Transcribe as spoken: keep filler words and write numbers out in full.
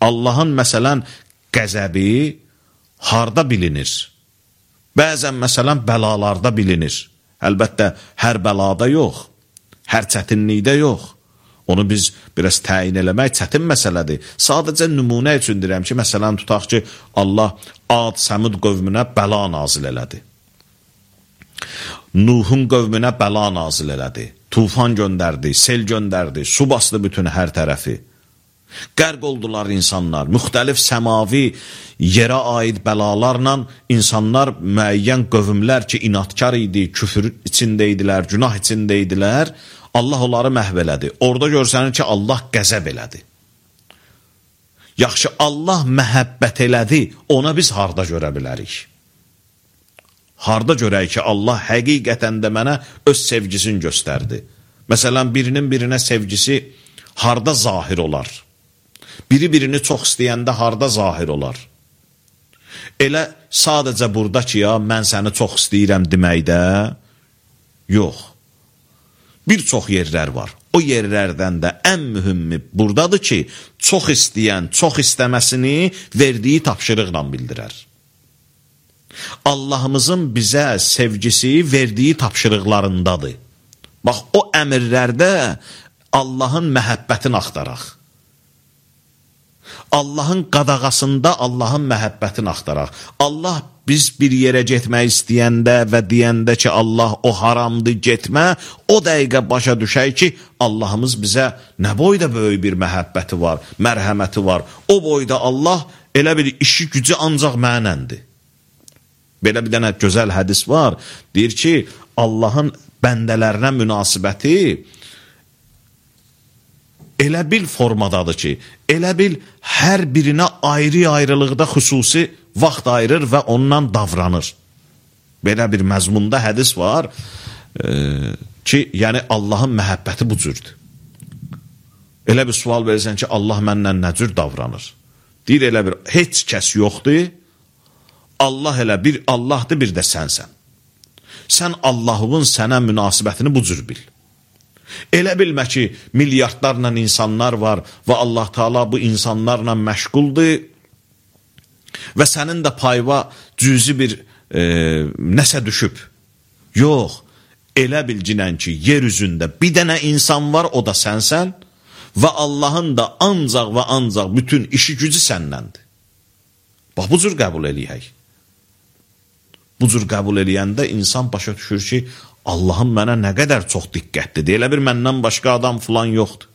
Allahın məsələn qəzəbi harda bilinir? Bəzən məsələn bəlalarda bilinir. Əlbəttə hər bəlada yox, hər çətinlikdə yox. Onu biz biraz təyin eləmək çətin məsələdir. Sadəcə nümunə üçün deyirəm ki, məsələn tutaq ki, Allah Ad, Səmud qövmünə bəla nazil elədi. Nuhun qövmünə bəla nazil elədi. Tufan göndərdi, sel göndərdi, su bastı bütün hər tərəfi. Qərq oldular insanlar. Müxtəlif səmavi yerə aid bəlalarla insanlar, müəyyən qövmlər ki, inatkar idi, küfür içində idilər, günah içində idilər, Allah onları məhv elədi. Orada görsənir ki, Allah qəzəb elədi. Yaxşı, Allah məhəbbət elədi, ona biz harda görə bilərik? Harda görək ki, Allah həqiqətən də mənə öz sevgisini göstərdi. Məsələn, birinin birinə sevgisi harda zahir olar? Biri birini çox istəyəndə harda zahir olar? Elə sadəcə burada ki, ya, mən səni çox istəyirəm deməkdə, yox. Bir çox yerlər var. O yerlərdən də ən mühümmi buradadır ki, çox istəyən, çox istəməsini verdiyi tapşırıqla bildirər. Allahımızın bizə sevgisi verdiyi tapşırıqlarındadır. Bax, o əmirlərdə Allahın məhəbbətini axtaraq. Allahın qadağasında Allahın məhəbbətini axtaraq. Allah biz bir yerə getmək istəyəndə və deyəndə ki, Allah o haramdır, getmə, o dəqiqə başa düşək ki, Allahımız bizə nə boyda böyük bir məhəbbəti var, mərhəməti var. O boyda Allah elə bir işi gücü ancaq mənəndir. Belə bir dənə gözəl hədis var. Deyir ki, Allahın bəndələrinə münasibəti elə bil formadadır ki, elə bil hər birinə ayrı-ayrılıqda xüsusi vaxt ayırır və ondan davranır. Belə bir məzmunda hədis var e, ki, yəni Allahın məhəbbəti bu cürdür. Elə bir sual verirsən ki, Allah mənlə nə cür davranır? Deyir, elə bir, heç kəs yoxdur, Allah elə bir Allahdır, bir də sənsən. Sən Allahın sənə münasibətini bu cür bil. Elə bilmə ki, milyardlarla insanlar var və Allah Teala bu insanlarla məşğuldur və sənin də payva cüzi bir e, nəsə düşüb. Yox, elə bilginən ki, yer üzündə bir dənə insan var, o da sənsən və Allahın da ancaq və ancaq bütün işi gücü səndəndir. Bax, bu cür qəbul eləyək. Bu cür qəbul eləyəndə insan başa düşür ki, Allahım mənə nə qədər çox diqqətlidir. Elə bir məndən başqa adam filan yoxdur.